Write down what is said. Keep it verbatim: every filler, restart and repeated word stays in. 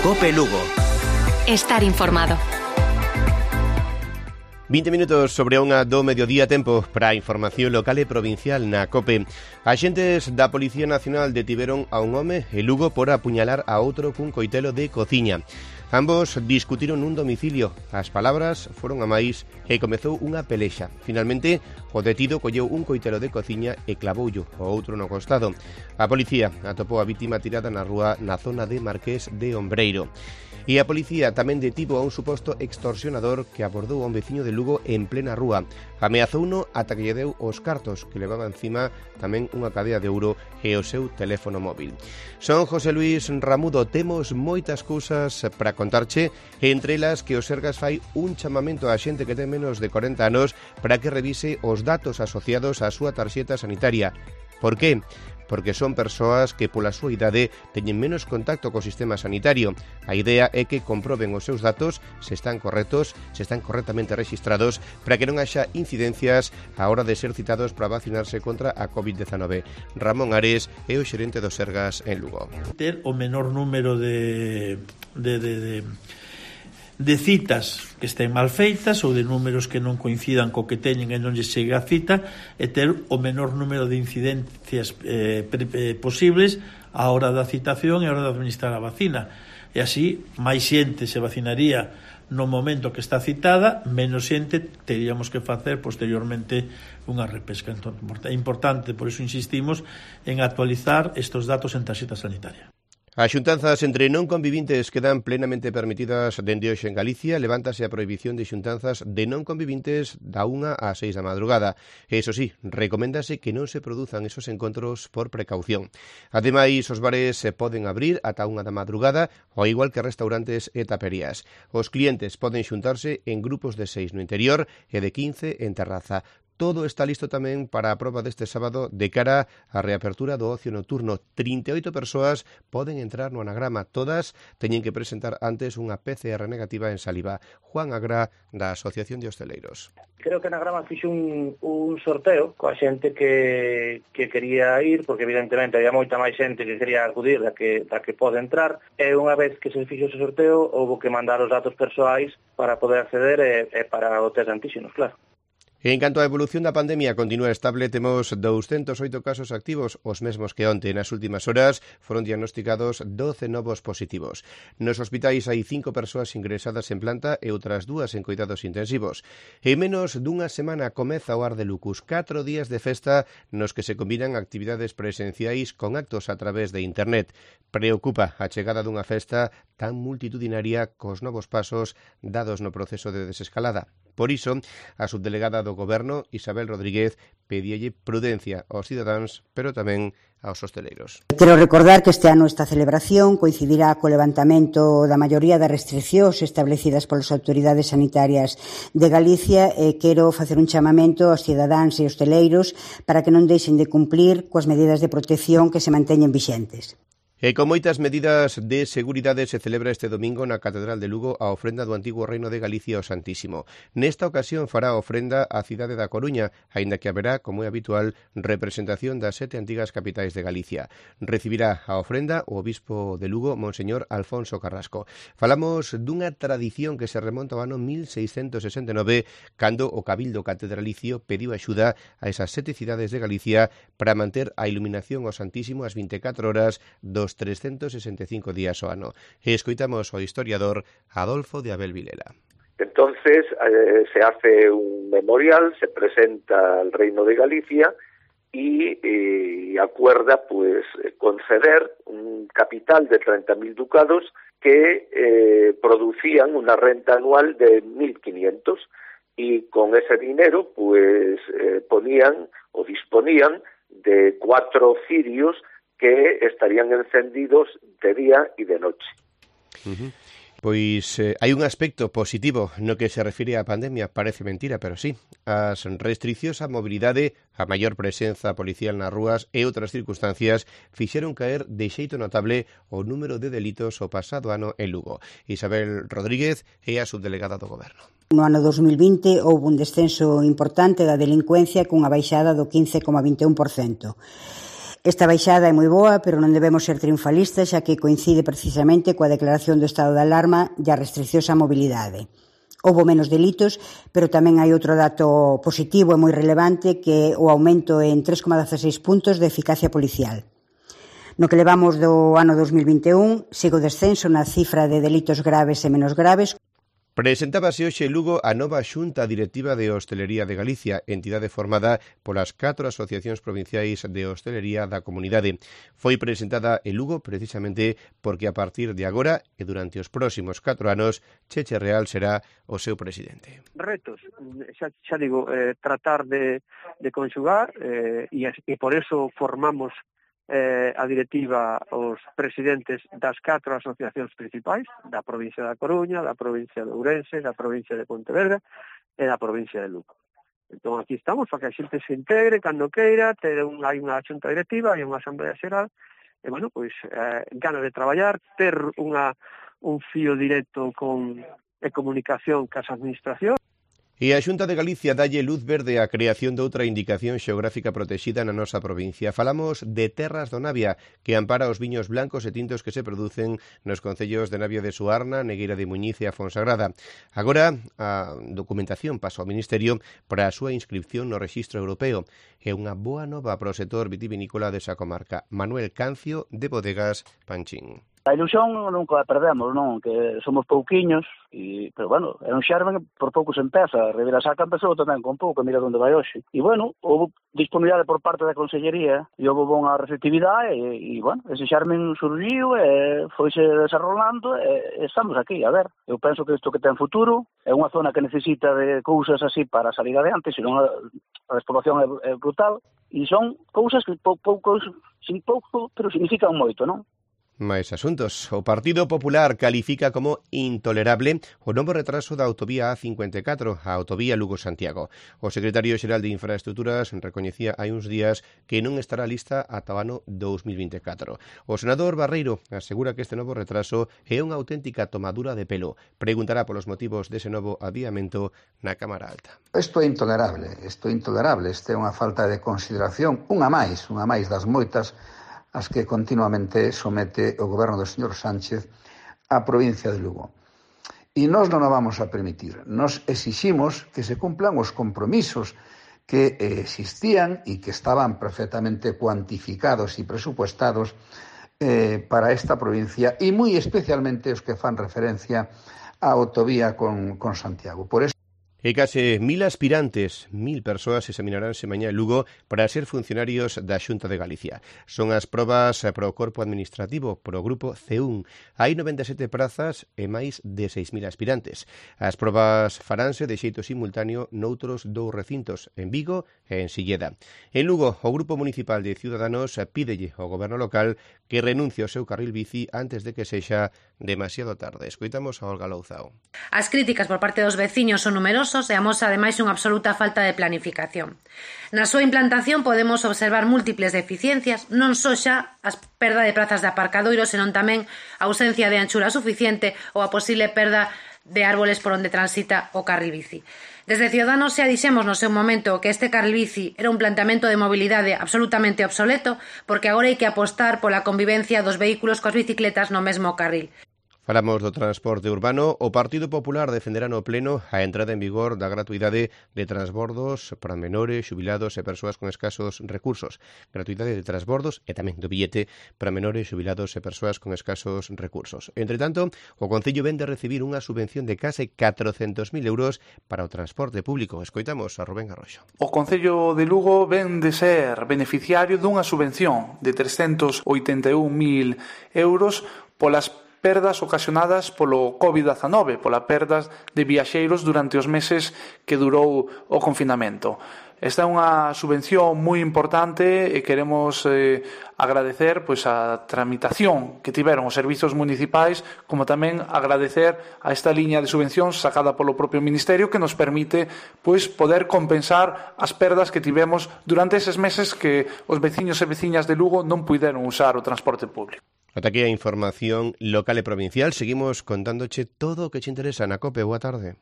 Cope Lugo. Estar informado. vinte minutos sobre a unha do mediodía, tempo para a información local e provincial na COPE. Axentes da Policía Nacional detiveron a un home en Lugo por apuñalar a outro cun coitelo de cociña. Ambos discutiron nun domicilio. As palabras foron a máis e comezou unha pelexa. Finalmente, o detido colleu un coitelo de cociña e clavoullo o outro no costado. A policía atopou a vítima tirada na rúa na zona de Marqués de Ombreiro. E a policía tamén detivo a un suposto extorsionador que abordou a un veciño de Lugo en plena rúa. Ameazouno ata que lle deu os cartos que levaba encima tamén unha cadea de ouro e o seu teléfono móvil. Son José Luis Ramudo, temos moitas cousas para contarche, e entre elas que o Sergas fai un chamamento á xente que ten menos de corenta anos para que revise os datos asociados á súa tarxeta sanitaria. Por que? Porque son persoas que pola súa idade teñen menos contacto co sistema sanitario. A idea é que comproben os seus datos se están correctos, se están correctamente rexistrados, para que non haxa incidencias á hora de ser citados para vacinarse contra a covid dezanove. Ramón Ares é o xerente do Sergas en Lugo. Ter o menor número de... de, de, de... de citas que estén mal feitas ou de números que non coincidan co que teñen e non lles chega a cita, e ter o menor número de incidencias eh, pre, eh, posibles á hora da citación e á hora de administrar a vacina. E así, máis xente se vacinaría no momento que está citada, menos xente teríamos que facer posteriormente unha repesca. Entón, é importante, por iso insistimos, en actualizar estes datos en tarxeta sanitaria. As xuntanzas entre non convivintes quedan plenamente permitidas dende hoxe en Galicia. Levántase a prohibición de xuntanzas de non convivintes da unha ás seis da madrugada. E, iso sí, recoméndase que non se produzan esos encontros por precaución. Ademais, os bares se poden abrir ata unha da madrugada, ao igual que restaurantes e taperías. Os clientes poden xuntarse en grupos de seis no interior e de quince en terraza. Todo está listo tamén para a proba deste sábado de cara á reapertura do ocio nocturno. trinta e oito persoas poden entrar no anagrama. Todas teñen que presentar antes unha P C R negativa en saliva. Juan Agra, da Asociación de Hosteleiros. Creo que Anagrama fixo un, un sorteo coa xente que, que quería ir, porque evidentemente había moita máis xente que quería acudir da que, da que pode entrar, e unha vez que se fixo ese sorteo, houve que mandar os datos persoais para poder acceder e, e para o test de antíxenos, claro. En canto á evolución da pandemia continúa estable, temos douscentos oito casos activos, os mesmos que onte. Nas últimas horas foron diagnosticados doce novos positivos. Nos hospitais hai cinco persoas ingresadas en planta e outras dúas en cuidados intensivos. En menos dunha semana comeza o Ar de Lucus, catro días de festa nos que se combinan actividades presenciais con actos a través de internet. Preocupa a chegada dunha festa tan multitudinaria cos novos pasos dados no proceso de desescalada. Por iso, a subdelegada do Goberno, Isabel Rodríguez, pedílle prudencia aos cidadáns, pero tamén aos hosteleiros. Quero recordar que este ano esta celebración coincidirá co levantamento da maioría das restriccións establecidas polas autoridades sanitarias de Galicia, e quero facer un chamamento aos cidadáns e hosteleiros para que non deixen de cumplir coas medidas de protección que se manteñen vixentes. E con moitas medidas de seguridade se celebra este domingo na Catedral de Lugo a ofrenda do antigo Reino de Galicia ao Santísimo. Nesta ocasión fará a ofrenda a cidade da Coruña, aínda que haberá, como é habitual, representación das sete antigas capitais de Galicia. Recibirá a ofrenda o obispo de Lugo, Monseñor Alfonso Carrasco. Falamos dunha tradición que se remonta ao ano mil seiscentos sesenta e nove, cando o Cabildo Catedralicio pediu axuda a esas sete cidades de Galicia para manter a iluminación ao Santísimo ás vinte e catro horas dos trescentos sesenta e cinco días ao ano. E escoitamos ao historiador Adolfo de Abel Vilela. Entonces eh, se hace un memorial, se presenta al Reino de Galicia y eh, acuerda pues conceder un capital de treinta mil ducados que eh, producían una renta anual de mil quinientos, y con ese dinero pues eh, ponían o disponían de cuatro cirios que estarían encendidos de día e de noche. Uh-huh. Pois eh, hai un aspecto positivo no que se refire á pandemia, parece mentira, pero sí. As restriccións á mobilidade, a maior presenza policial nas rúas e outras circunstancias fixeron caer de xeito notable o número de delitos o pasado ano en Lugo. Isabel Rodríguez é a subdelegada do Goberno. No ano dos mil vinte houve un descenso importante da delincuencia cunha baixada do quince coma vinte e un por cento. Esta baixada é moi boa, pero non debemos ser triunfalistas, xa que coincide precisamente coa declaración do estado de alarma e a restriccións á mobilidade. Houbo menos delitos, pero tamén hai outro dato positivo e moi relevante, que é o aumento en tres coma dieciséis puntos de eficacia policial. No que levamos do ano dos mil vinte e un, sigo descenso na cifra de delitos graves e menos graves. Presentábase hoxe en Lugo a nova Xunta Directiva de Hostelería de Galicia, entidade formada polas catro asociacións provinciais de hostelería da comunidade. Foi presentada en Lugo precisamente porque a partir de agora e durante os próximos catro anos, Cheche Real será o seu presidente. Retos, xa, xa digo, eh, tratar de, de conxugar eh, e, e por eso formamos Eh, a directiva os presidentes das catro asociacións principais da provincia da Coruña, da provincia de Ourense, da provincia de Pontevedra e da provincia de Lugo. Entón aquí estamos para que a xente se integre cando queira, ter un, hai unha xunta directiva, hai unha asamblea xeral e, bueno, pois, eh, ganas de traballar, ter unha, un fío directo con e comunicación cas administracións. E a Xunta de Galicia dalle luz verde á creación doutra indicación xeográfica protexida na nosa provincia. Falamos de Terras do Navia, que ampara os viños blancos e tintos que se producen nos concellos de Navia de Suarna, Negueira de Muñiz e a Fonsagrada. Agora, a documentación pasa ao Ministerio para a súa inscripción no Rexistro Europeo. É unha boa nova para o sector vitivinícola desa comarca. Manuel Cancio, de Bodegas Panchín. A ilusión nunca a perdemos, non? Que somos pouquiños, e, pero bueno, é un xerme que por pouco se empeza. A Ribeira Sacra empezou tamén con pouco, mira onde vai hoxe. E bueno, houve disponibilidade por parte da Consellería e houve bona receptividade e, e bueno, ese xerme surgiu e foise desarrollando e, e estamos aquí, a ver. Eu penso que isto que ten futuro é unha zona que necesita de cousas así para salir adiante, senón a, a despoblación é, é brutal e son cousas que pou, poucos, sin pouco, pero significan moito, non? Mais asuntos. O Partido Popular califica como intolerable o novo retraso da autovía A cincuenta e catro, a autovía Lugo-Santiago. O secretario xeral de Infraestructuras recoñecía hai uns días que non estará lista ata o ano dous mil vinte e catro. O senador Barreiro asegura que este novo retraso é unha auténtica tomadura de pelo. Preguntará polos motivos dese novo adiamento na Cámara Alta. Isto é intolerable, isto é intolerable, isto é unha falta de consideración, unha máis, unha máis das moitas as que continuamente somete o goberno do señor Sánchez á provincia de Lugo. E nós non o vamos a permitir. Nos exiximos que se cumplan os compromisos que existían e que estaban perfectamente cuantificados e presupuestados eh, para esta provincia e moi especialmente os que fan referencia á autovía con, con Santiago. Por eso E case mil aspirantes, mil persoas examinaránse mañá en Lugo para ser funcionarios da Xunta de Galicia. Son as probas para o corpo administrativo, para o grupo C un. Hai noventa e sete prazas e máis de seis mil aspirantes. As probas faránse de xeito simultáneo noutros dous recintos, en Vigo e en Silleda. En Lugo, o Grupo Municipal de Ciudadanos pídelle ao goberno local que renuncie ao seu carril bici antes de que sexa demasiado tarde. Escoitamos a Olga Louzao. As críticas por parte dos veciños son numerosos e amosa ademais unha absoluta falta de planificación. Na súa implantación podemos observar múltiples deficiencias, non só xa a perda de prazas de aparcadoiro, senón tamén a ausencia de anchura suficiente ou a posible perda de árboles por onde transita o carril bici. Desde Ciudadanos xa dixemos no seu momento que este carril bici era un planteamento de mobilidade absolutamente obsoleto, porque agora hai que apostar pola convivencia dos vehículos coas bicicletas no mesmo carril. Falamos do transporte urbano. O Partido Popular defenderá no Pleno a entrada en vigor da gratuidade de transbordos para menores, xubilados e persoas con escasos recursos. Gratuidade de transbordos e tamén do billete para menores, xubilados e persoas con escasos recursos. Entre tanto, o Concello ven de recibir unha subvención de case catrocentos mil euros para o transporte público. Escoitamos a Rubén Arroxo. O Concello de Lugo ven de ser beneficiario dunha subvención de trescentos oitenta e un mil euros polas perdas ocasionadas polo covid dezanove, pola perdas de viaxeiros durante os meses que durou o confinamento. Esta é unha subvención moi importante e queremos eh, agradecer pois, a tramitación que tiveron os servizos municipais, como tamén agradecer a esta liña de subvencións sacada polo propio Ministerio que nos permite pois, poder compensar as perdas que tivemos durante eses meses que os veciños e veciñas de Lugo non puideron usar o transporte público. Ata aquí a información local e provincial. Seguimos contándoche todo o que te interesa na COPE. Boa tarde.